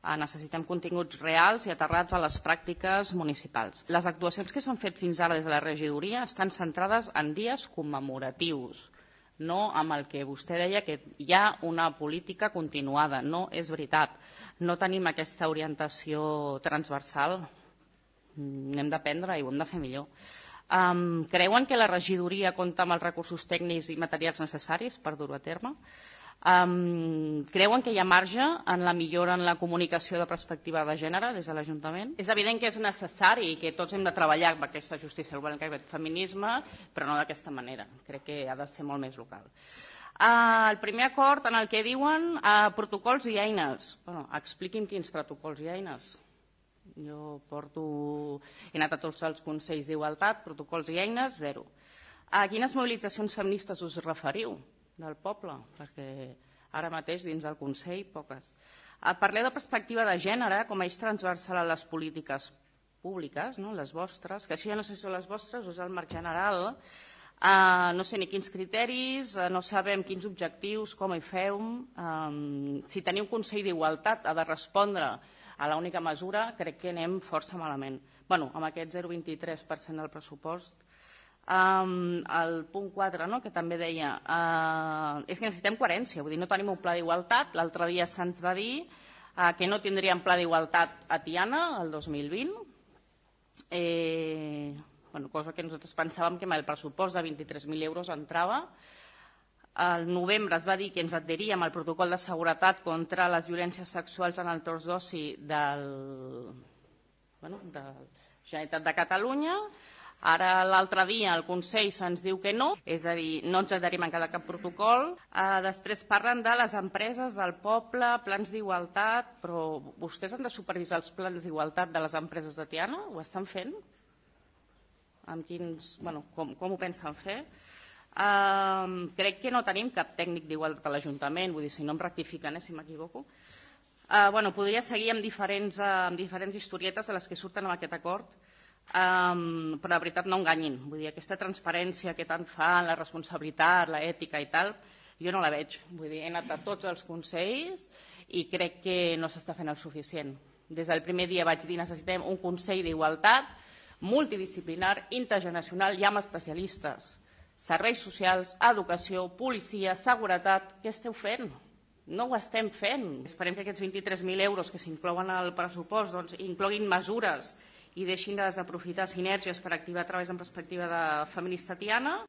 Necessitem continguts reals i aterrats a les pràctiques municipals. Les actuacions que s'han fet fins ara des de la regidoria estan centrades en dies commemoratius, no amb el que vostè deia que hi ha una política continuada. No és veritat. No tenim aquesta orientació transversal. N'hem d'aprendre i ho hem de fer millor. Creuen que la regidoria compta amb els recursos tècnics i materials necessaris per dur-ho a terme? Creuen que hi ha marge en la millora en la comunicació de perspectiva de gènere des de l'Ajuntament? És evident que és necessari i que tots hem de treballar per aquesta justícia global, aquest feminisme, però no d'aquesta manera. Crec que ha de ser molt més local. El primer acord en el que diuen protocols i eines. Expliqui'm quins protocols i eines. Jo he anat a tots els consells d'igualtat, protocols i eines, zero. A quines mobilitzacions feministes us referiu del poble? Perquè ara mateix dins del Consell, poques. Parleu de perspectiva de gènere com a eix transversal a les polítiques públiques, les vostres, que això ja no sé si són les vostres o és el marc general. No sé ni quins criteris, no sabem quins objectius, com hi feu. Si teniu un Consell d'Igualtat ha de respondre a l'única mesura, crec que anem força malament. Amb aquest 0,23% del pressupost. El punt 4, que també deia, és que necessitem coherència, vull dir, no tenim un pla d'igualtat. L'altre dia se'ns va dir que no tindríem pla d'igualtat a Tiana el 2020, cosa que nosaltres pensàvem que amb el pressupost de 23.000 euros entrava. Al novembre es va dir que ens adheríem al protocol de seguretat contra les violències sexuals en el torn d'oci de la Generalitat de Catalunya. Ara l'altre dia el Consell se'ns diu que no, és a dir, no ens adherim encara a cap protocol. Després parlen de les empreses del poble, plans d'igualtat, però vostès han de supervisar els plans d'igualtat de les empreses de Tiana? Ho estan fent? Com ho pensen fer? Crec que no tenim cap tècnic d'igualtat a l'Ajuntament, vull dir, si no em rectifiquen, si m'equivoco. Podria seguir amb diferents historietes de les que surten amb aquest acord, però de veritat no enganyin. Vull dir, aquesta transparència que tant fan, la responsabilitat, l'ètica i tal, jo no la veig. Vull dir, he anat a tots els consells i crec que no s'està fent el suficient. Des del primer dia vaig dir necessitem un Consell d'Igualtat multidisciplinar, intergeneracional i amb especialistes. Serveis socials, educació, policia, seguretat, què esteu fent? No ho estem fent. Esperem que aquests 23.000 euros que s'inclouen al pressupost incloguin mesures i deixin de desaprofitar sinergies per activar treballs en perspectiva de feminista Tiana.